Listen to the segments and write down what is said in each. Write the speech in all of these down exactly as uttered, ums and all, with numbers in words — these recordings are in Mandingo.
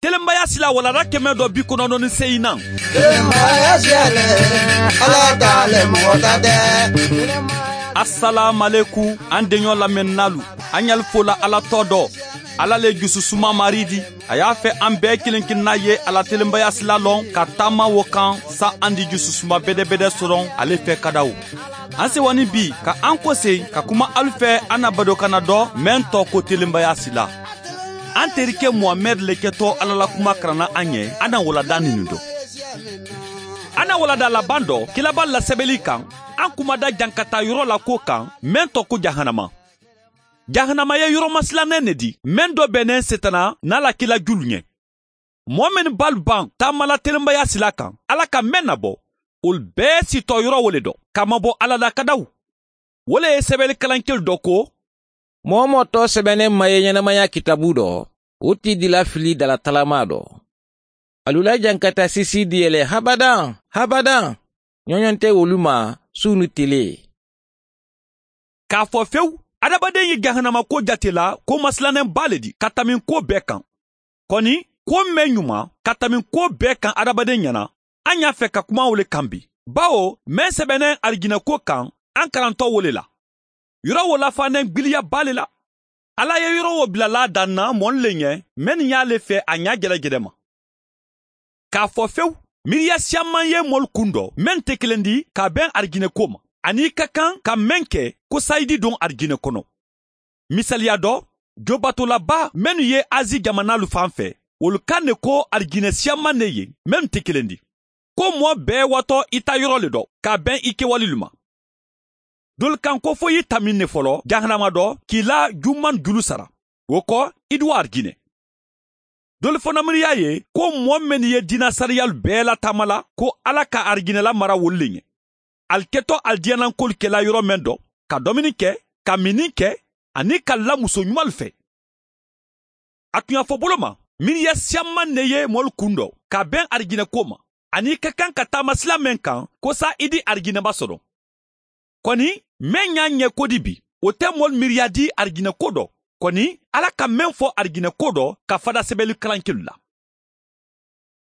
Telenbaya sila walanda kɛmɛ dɔ bi kɔnɔntɔn ni seegin nan. Telenbaya sila le, Ala ta le, mɔgɔ ta tɛ. Asalaamalekum, an deɲɔ lamɛnninaalu, an ɲali fola Ala tɔ dɔ. Ala le jususuma Mari di. A y'a fɛ an bɛɛ kelen kelenna ye a la telenbaya sila lɔn ka taama wo kan, sa an di jususuma bɛdɛbɛdɛ sɔrɔ ale fɛ kadawo. An sewa ni bi ka an kosegi ka kuma alu fɛ, an na badokanna dɔ mɛn tɔ ko telenbaya sila. An terikɛ Muhamɛdi le kɛtɔ Ala la kuma karanna an ye, an na walanda ninu dɔn. An na walanda laban dɔ, kiraba lasɛbɛli kan, an kumada jankata yɔrɔ la ko kan, mɛn tɔ ko jahanama. Jahanama ye yɔrɔ masilannen ne di, mɛn dɔ bɛnnen Setana n'a la kila julu ɲɛ. Mɔɔ mennu b'alu ban taamala telenbaya sila kan, Ala ka mɛn nabɔ, olu bɛɛ sitɔ yɔrɔ wo le dɔn, ka mabɔ Ala la kadawu. Wo le ye sɛbɛli kalankelu dɔ ko: Moo-wo-moo tɔɔsɛbɛnnen maye ɲɛnamaya kitaabu dɔ, wo ti dila fili dalatalamaa dɔ. Alu la jankata sisi diyɛlɛ habadan, habadan. Ɲɔɲɔ tɛ wolu ma su ni tile. K'a fɔ fewu, adamaden ye jahanamako jate la ko masilannen ba le di ka tɛmɛ ko bɛɛ kan. Kɔni, ko mɛn ɲuman ka tɛmɛ ko bɛɛ kan adamaden ɲɛna, an y'a fɛ ka kuma o le kan bi. Bawo mɛn sɛbɛnnen arijinɛko kan, an karantɔ wo le la. Yɔrɔ wo lafannen gbiliya ba le la. Ala ye yɔrɔ wo bilala a dan na mɔni le ɲɛ, mɛnnu y'ale fɛ a ɲa jɛlɛjɛlɛ ma. K'a fɔ fewu, miiriya siyaman ye mɔlu kun dɔ mɛn tɛ kelen di ka bɛn arijinɛko ma, ani i ka kan ka mɛn kɛ ko sa i di don arijinɛ kɔnɔ. Misaliya dɔ, jobatolaba mennu ye Azi jamanaalu fan fɛ, wolu kan ne ko arijinɛ siyaman ne ye, mennu tɛ kelen di. Ko mɔɔ bɛɛ waatɔ i ta yɔrɔ le dɔ, k'a bɛn i kewalelu ma. Dolu kan ko fo i tamin ne fɔlɔ jahanama dɔ, k'i la juman julu sara. Wo kɔ, i duwa arijinɛ. Dolu fana miiriya ye ko mɔɔ mennu ye diina sariyalu bɛɛ lataamala, ko Ala ka arijinɛ lamara wolu le ɲɛ. Ali kɛtɔ alidiyaanankolu kɛla yɔrɔ mɛn dɔ, ka domini kɛ, ka minni kɛ, ani ka la muso ɲumanlu fɛ. A tun y'a fɔ bolo ma, miiriya siyaman ne ye mɔlu kun dɔ ka bɛn arijinɛko ma, ani i ka kan ka taama sila mɛn kan ko sa i di arijinɛba sɔrɔ. Kɔni, mɛn y'a ɲɛ ko di bi, o tɛ mɔlu miiriya di arijinɛko dɔ. Kɔni, Ala ka mɛn fɔ arijinɛko dɔ ka fada sɛbɛli kalankelu la.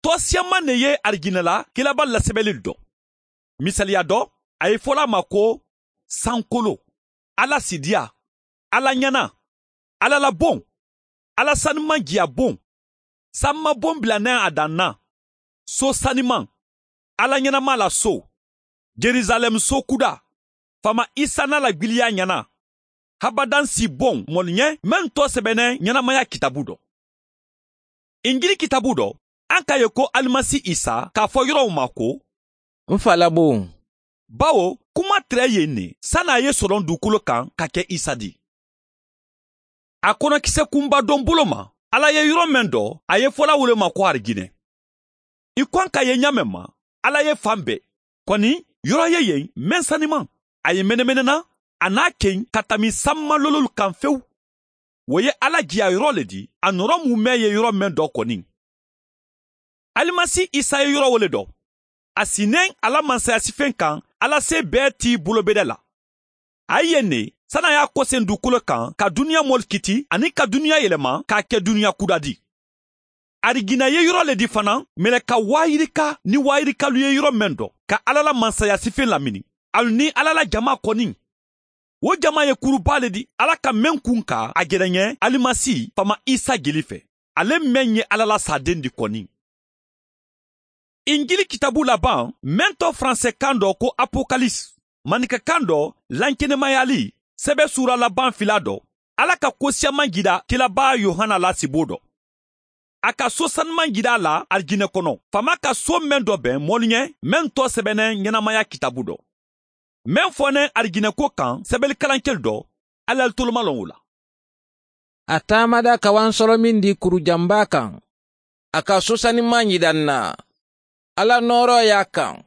Tɔɔsiyaman ne ye arijinɛ la kiraba lasɛbɛli dɔn. Misaliya dɔ, a ye fɔla a ma ko sankolo, Ala sidiya, Ala ɲana, Ala la bon, Ala saniman jiya bon, sanuma bon bilannen a dan na, so saniman, Ala ɲɛnama la so, Jerusalɛm so kuda, Faama Isa n'a la gbiliya ɲana, habadan si bon mɔlu ɲɛ mennu tɔɔsɛbɛnnen ɲɛnamaya kitaabu dɔ. Injili kitaabu dɔ, an k'a ye ko Alimasi Isa k'a fɔ yɔrɔw ma ko: N fa la bon. Bawo kuma tɛrɛ ye nin, sani a ye sɔrɔ dugukolo kan ka kɛ Isa di. A kɔnɔkisɛ kunba don bolo ma, Ala ye yɔrɔ mɛn dɔ, a ye fɔla wele ma ko arijinɛ. I kɔn ka ye ɲaamɛ ma, Ala ye fan bɛɛ. Kɔni, yɔrɔ ye yen mɛn saniman, a ye menemenena, a n'a ken ka tami sanuma lololu kan fewu. Wo ye Ala jiya yɔrɔ le di, a nɔrɔ mumɛ ye yɔrɔ mɛn dɔ kɔni. Alimasi Isa ye yɔrɔ wele dɔ. A sinnen a la mansayasifen kan, Ala se bɛɛ t'i bolobedɛ la. A ye yen ne, sani a y'a kɔsen dugukolo kan, ka duniya mɔlu kiti, ani ka duniya yɛlɛma, k'a kɛ duniya kuda di. Arijinɛ ye yɔrɔ le di fana, mɛlɛka waayirika ni waayirikalu ye yɔrɔ mɛn dɔ, ka Ala la mansayasifen lamini, alu ni Ala la jama kɔni. Wo jama ye kuruba le di Ala ka mɛn kun ka a gɛrɛɲɛ Alimasi Faama Isa jeli fɛ, ale mɛn ye Ala la saaden di kɔni. Injili kitaabu laban, mɛn tɔ faransɛkan dɔ ko Apokalisi, maninkakan dɔ, lankenemayali, sɛbɛ suura laban fila dɔ, Ala ka ko siyaman jira kiraba Yohana la sibo dɔ. A ka so sanuman jira a la arijinɛ kɔnɔ, faama ka so mɛn dɔ bɛn mɔlu ɲɛ, mɛn tɔɔsɛbɛnnen ɲɛnamaya kitaabu dɔ. Mɛn fɔnnen arijinɛko kan sɛbɛlikalankeli dɔ, Ala toloma lɔn o la. A taamada ka wansɔrɔ min di kurujanba kan. A ka so sanuman jira n na. Ala nɔɔrɔ y'a kan.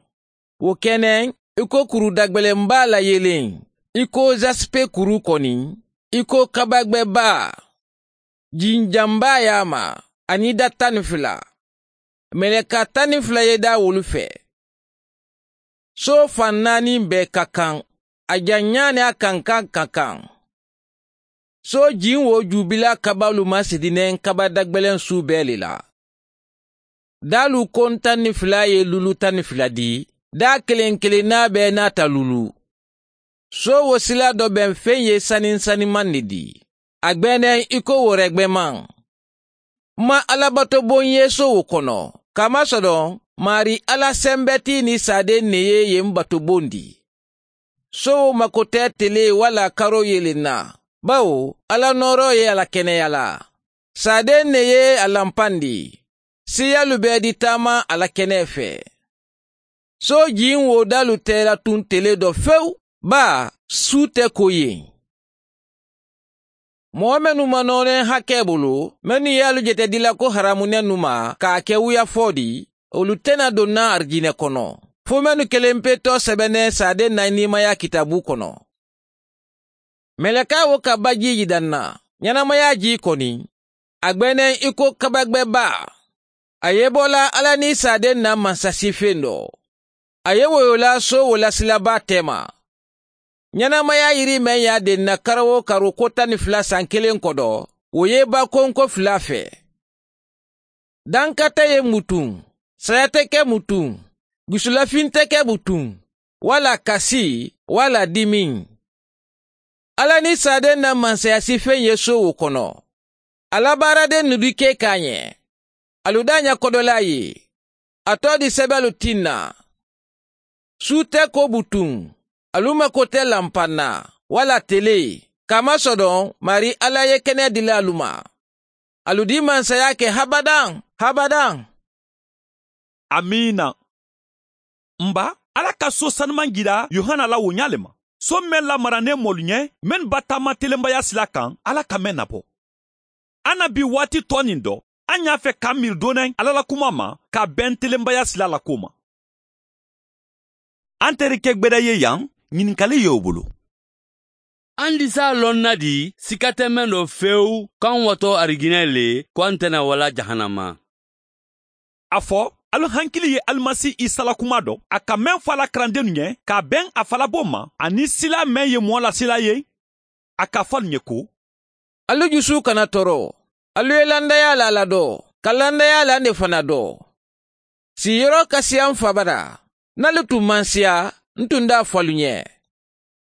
Wo kɛnɛ, i ko kuru dagbɛlɛnba layelen, i ko zasipe kuru kɔni, i ko kabagbɛba. Jinjanba y'a ma, ani da tan ni fila. Mɛlɛka tan ni fila ye da wolu fɛ. So fan naani bɛɛ ka kan, a janya ni a kankan ka kan. So jin wo jubila kabalu ma sidinen kaba dagbɛlɛn su bɛɛ le la. Daalu koŋ taŋ ni fula ye luulu taŋ ni fula di. Daa keleŋ keleŋ naa bee naata luulu. Soowo silaa do be m̀ feŋ ye saniŋ sanimaŋ ne di. A gbeeneŋ i ko wo regbemaa. M̀ maŋ alla batoboŋ ye soowo kono. Kaamasodon, maarii alla sembetii niŋ saadeŋ ne ye ye m̀ batoboŋ di. Soowo makoteetele walla karoo ye le naa. Bawo alla nooroo ye a la keneyaa la. Saadeŋ ne ye a lampandi. Siyalu bee di taama a la kenee fee. Soo jiŋ wo daalu te la tuŋ tele do fewu. Baa suu te ko yeŋ. Moo mennu ma nooneŋ hakee bulu, mennu ye alu jete dila ko haramunennu ma ka a ke wuyafoo di, wolu te na doŋ na arijine kono. Fo mennu keleŋ pe too sebeneŋ saadeŋ na i niimayaa kitaabu kono. Melekaa wo ka ba jiiji daŋ na. Ñanamayaa jii koni. A gbeeneŋ i ko kabagbebaa. A ye bo la alla niŋ saadeŋ na mansasifeŋ do. A ye woyoo la soowo la silabaa teema. Ñanamayaa yiri meŋ ye a deŋ na karo-wo-karo ko taŋ ni fula saŋ keleŋ kodo, wo ye i ba konko fula fee. Dankateye mutuŋ, sayateke mutuŋ, gusulafinteke mutuŋ, walla kasi, walla dimiŋ. Alla niŋ saadeŋ na mansayasifeŋ ye soowo kono. A la baaradeŋ nudikee ka a ñe. Alu daa ña kodolaa ye. A too di sebeelu tiŋ na. Suutee ko butuŋ. Alu makote lampaŋ na, walla telee. Kaamasodon maarii alla ye kenee dila alu ma. Alu di mansayaa ke habadaŋ, habadaŋ. Amiina. M̀ ba, alla ka soo sanimaŋ jira yohana la wo ñaa le ma. Soo meŋ lamaraneŋ moolu ñe, mennu bataama telembayaa silaa kaŋ alla ka meŋ nabo. A na bii waati too niŋ do, a ñaa fe ka m̀ miiri dooneŋ alla la kumaa ma ka a beŋ telembayaa silaa la kuwo ma. A nte reke gbeda ye yaŋ, ñininkali ye wo bulu. A ndi si a loŋ na di? Sika te meŋ do fewu ko a ŋ wato arijinee le ko a nte na wala jahanama. A fo, alu hankili ye alimasi isa la kumaa do a ka meŋ fo a la karandennu ñe ka a beŋ a falaboo ma, aniŋ silaa meŋ ye moo la silaa ye. A ka a fo alu ñe ko, alu jusuu kana toro. Alu ye landayaa la a la do, ka landayaa la ne fana do. Sii yoroo kasiyaŋ fabara. Niŋ alu tuŋ maŋ siya, n tuŋ daa fo alu ñe.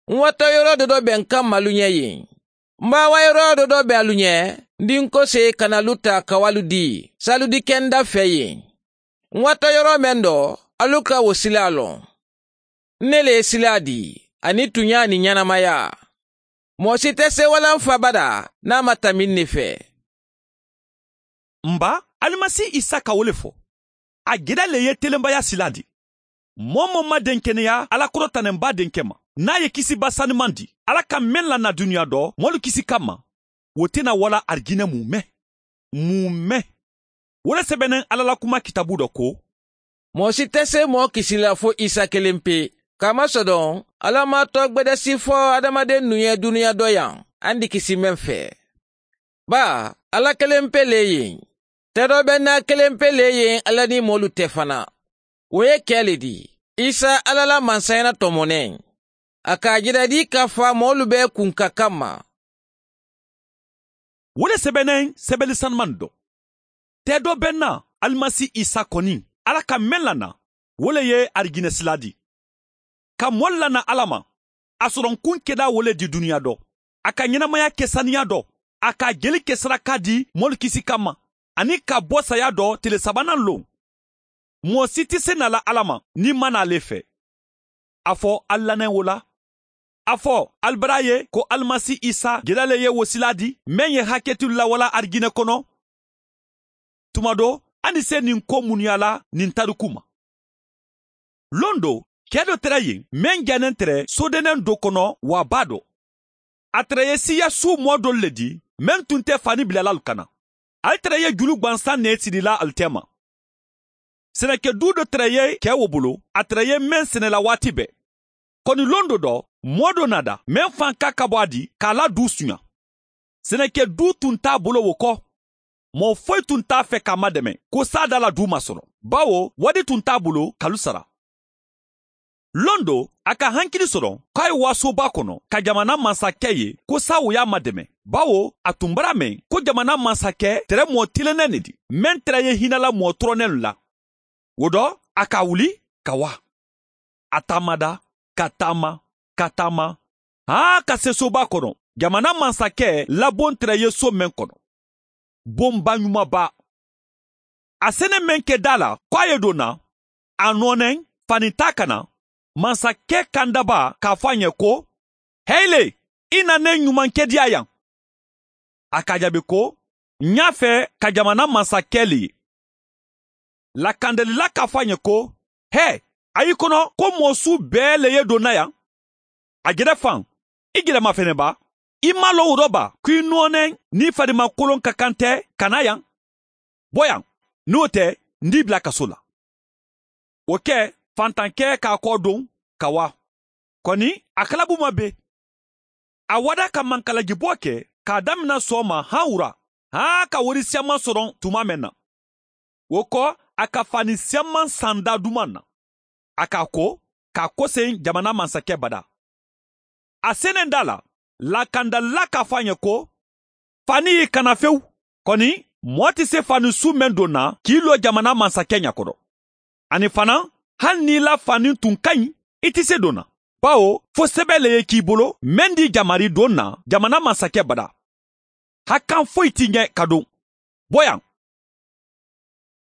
N wato yoroo dodo be n kamma alu ñe yeŋ. N baawa yoroo dodo be alu ñe. N dinkosee kana alu taa ka wo alu dii si alu dikenda fee yeŋ. N wato yoroo meŋ do, alu ka wo silaa loŋ. N ne le ye silaa dii, aniŋ tuñaa niŋ ñanamayaa. Moo si te seewalaŋ fo abada niŋ a ma tambi n ne fee. M̀ ba, alimasi isa ka wo le fo. A geda le ye telenbayaa silaa di. Moo-wo-moo maŋ denkeneyaa alla korotanemba denke ma. Niŋ a ye kisiba sanimaŋ di alla ka meŋ la na duniyaa do moolu kisi kamma, wo te na wala arijinee muumeŋ. Muumeŋ. Wo le sebeneŋ alla la kumaa kitaabu do ko, moo si te see moo kisi la fo isa keleŋ pe. Kamasodoŋ, alla maŋ a too gbedesi fo hadamadennu ye duniyaa do yaŋ a ndi kisi meŋ fee. Baa, alla keleŋ pe le ye. Te do be naa keleŋ pe le ye alla niŋ moolu te fana. Wo ye ke le di, isa alla la mansayaa na tomo neŋ. A ka a jira di ka faa moolu bee kuŋ ka kamma. Wo le sebeneŋ sebeeli sanimaŋ do. Te do be naa alimasi isa koni, alla ka meŋ la naa, wo le ye arijinee silaa di. Ka moolu la naa alla ma, a soroŋ kuŋ kedaa wo le di duniyaa do. A ka ñanamaya ke saniyaa do. A ka a jeli ke sarakaa di moolu kisi kamma, aniŋ ka bo sayaa do tele sabananloŋ. Moo si ti sena la alla ma niŋ maŋ naa le fee. A fo ali laneŋ wo la. A fo ali bara a ye ko alimasi isa jela le ye wo silaa di meŋ ye haketilu la wala arijinee kono. Tuma do, a ni se niŋ ko munuyaa la niŋ tariku ma. Loŋ do, kee do tara ye meŋ janeŋ tere soodeneŋ do kono waa baa do. A tara ye siiya suu moo doolu le di meŋ tun te faani bilalaalu kana. Ali tara ye julu gbansaŋ ne siri la ali teema. Seneke duu do tara ye kee wo bulu, a tara ye meŋ sene la waati bee. Koni londo do, moo do naada meŋ fanka ka bo a di ka a la duu suña. Seneke duu tun nte a bulu wo ko, moo foyi tun nte a fee ka a mademe ko saadaa la duu maŋ soro, bawo wadi tun nte a bulu ka alu sara. Londo, a ka hankili soto ko a ye waasoobaa kono ka jamana mansa ke ye ko saawo ye a mademe. Bawo a tun b'a la meŋ ko jamana mansakɛ tere moo tilennen ne di meŋ tere ye hinɛ la moo toronnenlu la. Wo do a ka wuli ka wa. A taamada ka taama ka taama haa ka se soba kono jamana mansakɛ laboŋ tere ye so meŋ kono. Boŋ baɲumaba. A sene meŋ ke daa la ko a ye donna a nooneŋ fani taa ka na. Mansakɛ kandaba k'a fo a ɲe ko, hei le, i na ne ɲumankediya yaŋ. A ka jaabi ko, ɲa fɛ ka jamana mansakɛ le ye. Lakandalila k'a fo a ɲe ko, hee, a y'i kono ko moo su bee le ye donna yaŋ. A jere faŋ, i jelema fene ba? I ma loŋ wo do ba ko i nooneŋ n'i fadimakolon ka kan te ka na yaŋ? Bo yaŋ, ni wo te, n d'i bila kaso la. Wo ke, fantankɛ k'a kɔ doŋ ka wa. Koni a kalabu ma be. A wada ka mankalajiboo ke k'a damina sooma han wura haa ka wori siyamaŋ soroŋ tuma meŋ na. Wo ko, a ka fani siyamaŋ sanda dumaŋ na. A k'a ko k'a koseyi jamana mansakɛ bada. A senenda la, lakandalila k'a fo a ɲe ko, fani y'i kana fewu. Koni, moo ti se fani su meŋ donna k'i loo jamana mansakɛ ɲa kono. Aniŋ fanaa, hani niŋ i la fani tun ka ɲi, i ti se donna. Bawo fo sebe le ye k'i bolo meŋ di jamari donna jamana mansakɛ bada. Hakan foyi ti ɲe ka don. Bo yaŋ.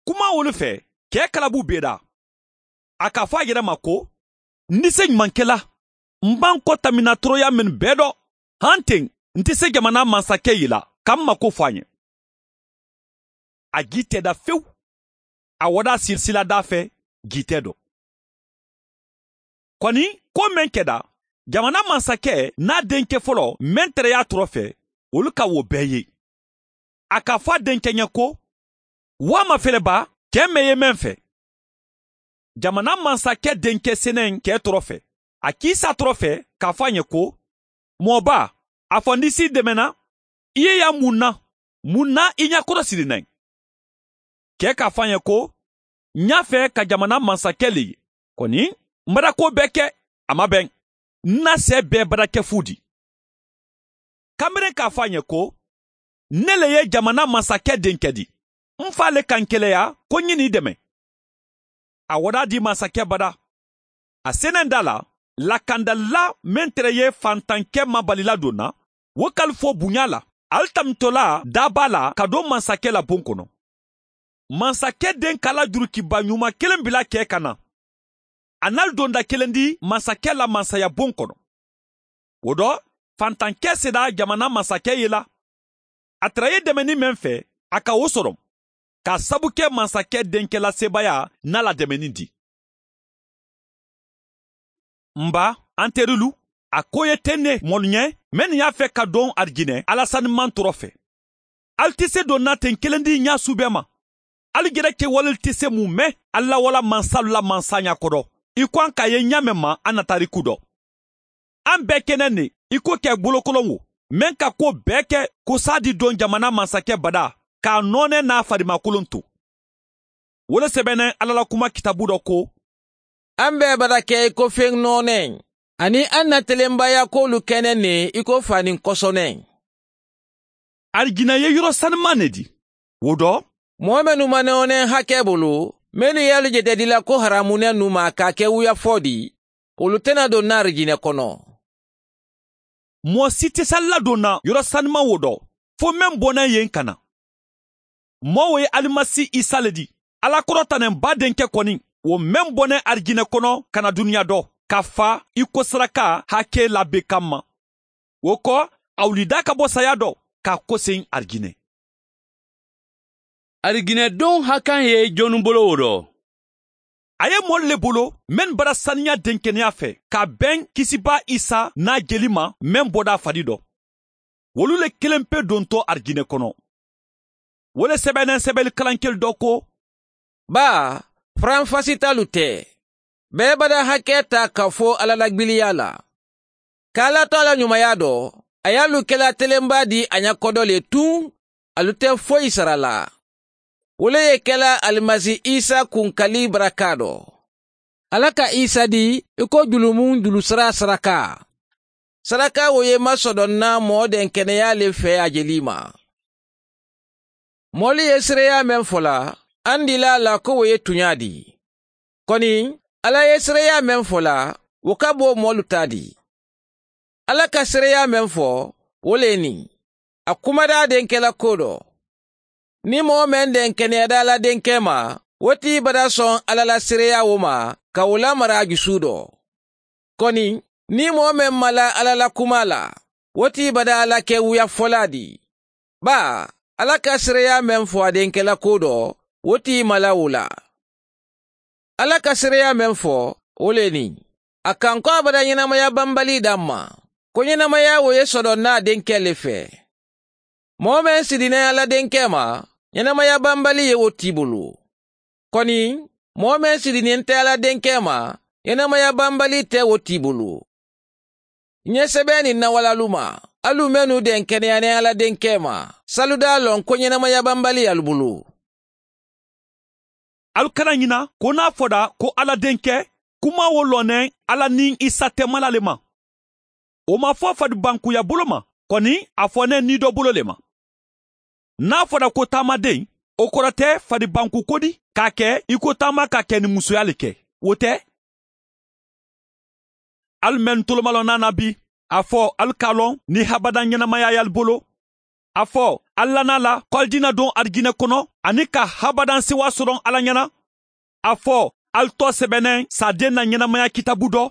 Kuma wolu fe, kee kalabu bee da. A ka fo a yere ma ko, n ti se ɲumankela. M ba n ko tamina toroya mennu bee do, han teŋ n ti se jamana mansakɛ yila ka m mako fo a ɲe. A gii te da fewu. A wada sirisila da fe gii te do. Koni, ko meŋ ke da, jamana mansakɛ n'a denke folo meŋ tere ye a toro fe, wolu ka wo bee ye. A ka fo a denke ɲe ko, waa ma fele ba kee meŋ ye meŋ fe? Jamana mansakɛ denke seneŋ kee toro fe. A kiisa toro fe k'a fo a ɲe ko, moo ba, a fo n disi i demena. I ye ya mun na? Mun na i ɲakoro siri neŋ? Kee k'a fo a ɲe ko, ɲa fe ka jamana mansakɛ le ye. Koni, m bada ko bee ke. A ma beŋ. N na see bee bada ke fu di. Kamere k'a fo a ɲe ko, ne le ye jamana mansakɛ denke di. N fa le ka n keleya ko n ɲini i deme. A wada di mansakɛ bada. A senenda la, lakandalila meŋ tere ye fantankɛ mabalila donna, wo kalifo buɲa la, ali tamitola daaba la ka don mansakɛ la boŋ kono. Mansakɛ den ka la jurukiba ɲuma kelen bila kee ka na. A nali donda kelen di mansakɛ la mansaya boŋ kono. Wo do, fantankɛ seda jamana mansakɛ ye la. A tara ye demeni meŋ fe, a ka wo soro. Ka sabu ke mansakɛ denke la sebaaya n'a la demeni di. N ba, an terilu, a ko ye teŋ ne moolu ɲe mennu ye a fe ka don arijinɛ ala sanimaŋ toro fe. Ali ti se donna teŋ kelen di ɲaa su bee ma. Ali jere kewalelu ti se mu me alla wala mansalu la mansaaɲa kodo, i ko an ka ye ɲaa meŋ ma an na tariku do. An bee ke neŋ ne i ko ke bolokoloŋo meŋ ka kuwo bee ke kosaa di doŋ jamana mansakɛ badaa, ka a noone n'a fadimakolon to. Wo le sebeneŋ alla la kuma kitaabu do ko, an bee bada ke i ko feŋ nooneŋ, aniŋ an na telenbaayaakoolu ke neŋ ne i ko faanin koso neŋ. Arijinɛ ye yoro sanimaŋ ne di. Wo do, moo mennu ma nooneŋ hake bulu, mennu ye alu jete dila ko haraamu nennu ma ka a ke wuyafoo di, wolu te na donna arijinɛ kono. Moo si te si ali ladonna yoro sanimaŋ wo do, fo meŋ boneŋ ye n kana. Moo wo ye alimasi isa le di, alla korotaneŋ baa denke koni, wo meŋ boneŋ arijinɛ kono ka na duniya do, ka faa i ko saraka hake la be kamma. Wo ko, a wulida ka bo saya do ka a koseyi arijinɛ. Arijinɛ doŋ hakaŋ ye jonnu bolo wo do? A ye moolu le bolo mennu bara saniya denkeneya fe ka beŋ kisibaa isa n'a jeli ma meŋ bodaa fadi do. Wolu le kelenpe donto arijinɛ kono. Wo le sebeneŋ sebeli kalankelu do ko, baa, faranfasitalu te, bee bada hake taa ka fo alla la gbiliyaa la. Ka alla to a la ɲumaya do, a ye alu kela telenbaa di a ɲa kodo le tuŋ, alu te foyi sara la. Wo le ye kela alimasi isa kunkali baraka do. Alla ka isa di i ko julumuŋ julusara saraka. saraka woyema sodonna moo denkeneyaa le fee a je lii ma. Moolu ye seereyaa meŋ fo la, andila a la ko wo ye tuñaa dii. Koni, alla ye seereyaa meŋ fo la, wo ka bo moolu taa dii. Alla ka seereyaa meŋ fo, wo le niŋ a kumada a denke la kuwo do. Niŋ moo meŋ denkeneyata a la denkee ma, wo tii bada soŋ alla la seereyaa wo ma, ka wo lamara a jusuu do. Koni, niŋ moo meŋ mala alla la kumaa la, wo tii bada a la ke wuya folaa dii. Baa, alla ka seereyaa meŋ fo a denke la kuwo do, wo tii mala wo la. Alla ka seereyaa meŋ fo, wo le niŋ a kaŋ ko a bada ñenamaya bambalii daŋ ma, ko ñenamaya wo ye sodoŋ na a denkee le fee. Moo meŋ si diniŋ alla denkee ma, ñenamaya bambalii ye wo tii bulu. Koni, moo meŋ si diniŋ te alla denkee ma, ñenamaya bambalii te wo tii bulu. Ñe sebee niŋ na wala luma, alu mennu denkeneya niŋ alla denkee ma, saludaa loŋ ko ñenamaya bambalii alu bulu. Alu kana ñina ko niŋ a fota ko alla denke, kuma wo loŋ ne alla niŋ isa temala le ma. Wo maŋ fo fadibankuya bolo ma, koni a fo ne niidoo bolo le ma. Niŋ a fota ko taamadeŋ, wo koro te fadibanku kodi ka a ke i ko taama ka ke niŋ musuyaa le ke. Wo te. Alu mennu tolomaloo naana bii, a fo alu ka a loŋ niŋ habadaŋ ñenamaya ye alu bolo. A fo alu la naa la ko alu diina doŋ arijina kono, aniŋ ka habadaŋ sewaa soroŋ alla ñana. A fo alu too sebeneŋ saadeŋ na ñenamaya kitaabu do.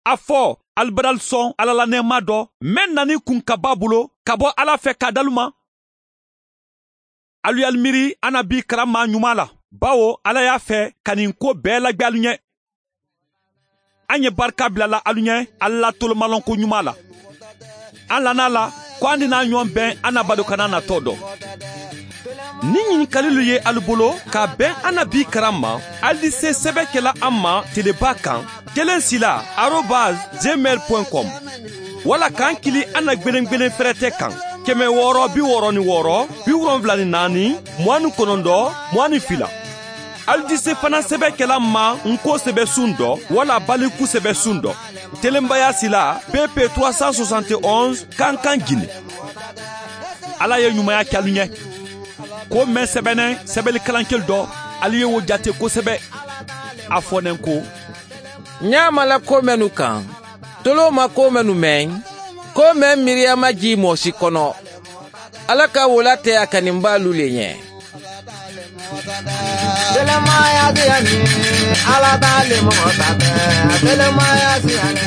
A fo alu badalu soŋ alla la neemaa do, meŋ nani kuŋ ka baa bulu ka bo alla fe ka a dalu ma. Alu ye alu miiri annabii karammaa ñumaa la, bawo alla ye a fee ka ñiŋ kuwo bee lagbe alu ñe. A ŋ ye barika bila la alu ñe alla la tolomalonko ñumaa la. A ŋ lannaa la ko a ŋ dinaa ñoŋ beŋ annabadokanaa natoo do. Niŋ ñinkalilu ye alu bolo ka a beŋ annabii karamma, alu di see sebe ke la a ma telebaa kaŋ, keleŋ sila arobas jemel point com. Walla ka a ŋ kili a na gbeneŋ gbeneŋ ferete kaŋ, keme wooro bi wooro ni wooro, bi wolonwula ni naani, muwaani konondo, muwaani fila. Alu di see fanaŋ sebe ke la a ma ŋ ko sebe suŋ do walla baliku sebe suŋ do, telembayaa sila pp trois cent soixante et onze kankaŋ gine. Alla ye ñumaya ke alu ñe. Ko meŋ sebeneŋ sebeli kalankelu do, alu ye wo jate kosebe. A fo neŋ ko, ñaama la ko mennu kaŋ, toloo ma ko mennu meŋ, ko meŋ miiriyaama jii moo si kono. Alla ka wo la teya ka niŋ baalu le ñe. Telemaya siyani, alla taale moo sata. Telemaya siyani.